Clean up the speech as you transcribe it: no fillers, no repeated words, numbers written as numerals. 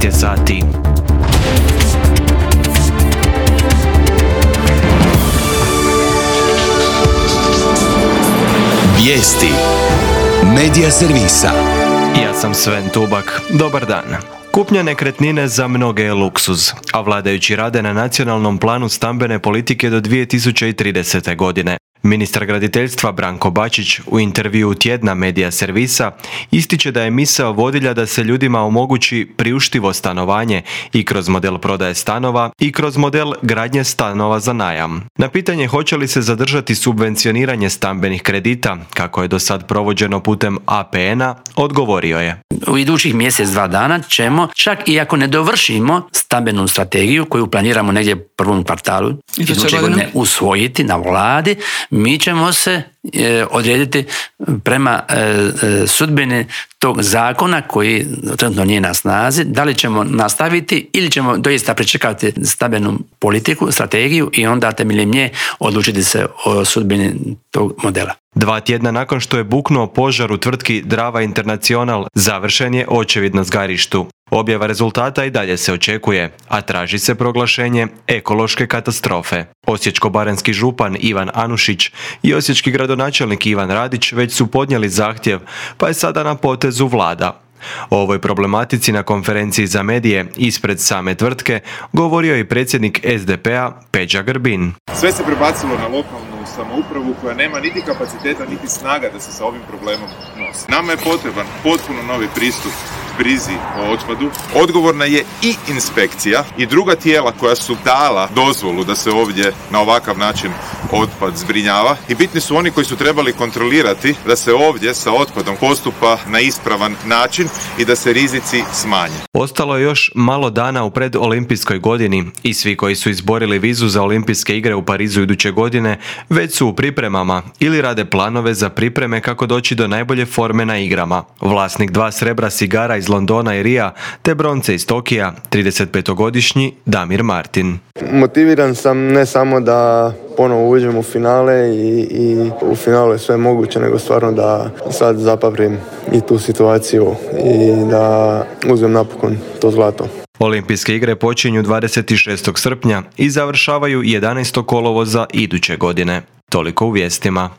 je sati. Vijesti Medija servisa. Ja sam Sven Tubak. Dobar dan. Kupnja nekretnine za mnoge je luksuz, a vladajući rade na nacionalnom planu stambene politike do 2030. godine. Ministar graditeljstva Branko Bačić u intervjuu tjedna Medija servisa ističe da je misao vodilja da se ljudima omogući priuštivo stanovanje i kroz model prodaje stanova i kroz model gradnje stanova za najam. Na pitanje hoće li se zadržati subvencioniranje stambenih kredita, kako je do sad provođeno putem APN-a, odgovorio je. U idućih mjesec, 2 dana ćemo, čak i ako ne dovršimo stambenu strategiju koju planiramo negdje u prvom kvartalu iduće godine usvojiti na vladi, mi ćemo se odrediti prema sudbini tog zakona koji trenutno nije na snazi, da li ćemo nastaviti ili ćemo doista pričekati stambenu politiku, strategiju i onda temeljem nje odlučiti se o sudbini tog modela. 2 tjedna nakon što je buknuo požar u tvrtki Drava International, završen je očevid na zgarištu. Objava rezultata i dalje se očekuje, a traži se proglašenje ekološke katastrofe. Osječko-baranjski župan Ivan Anušić i osječki gradonačelnik Ivan Radić već su podnijeli zahtjev, pa je sada na potezu vlada. O ovoj problematici na konferenciji za medije ispred same tvrtke govorio je predsjednik SDP-a Peđa Grbin. Sve se prebacilo na lokalnu samoupravu koja nema niti kapaciteta niti snaga da se sa ovim problemom nosi. Nama je potreban potpuno novi pristup brizi o otpadu. Odgovorna je i inspekcija i druga tijela koja su dala dozvolu da se ovdje na ovakav način otpad zbrinjava i bitni su oni koji su trebali kontrolirati da se ovdje sa otpadom postupa na ispravan način i da se rizici smanje. Ostalo je još malo dana u predolimpijskoj godini i svi koji su izborili vizu za olimpijske igre u Parizu iduće godine već su u pripremama ili rade planove za pripreme kako doći do najbolje forme na igrama. Vlasnik 2 srebra sigara iz Londona i Rija te bronce iz Tokija, 35-godišnji Damir Martin. Motiviran sam ne samo da ponovo uđem u finale i u finalu je sve moguće, nego stvarno da sad zapaprim i tu situaciju i da uzmem napokon to zlato. Olimpijske igre počinju 26. srpnja i završavaju 11. kolovoza iduće godine. Toliko u vijestima.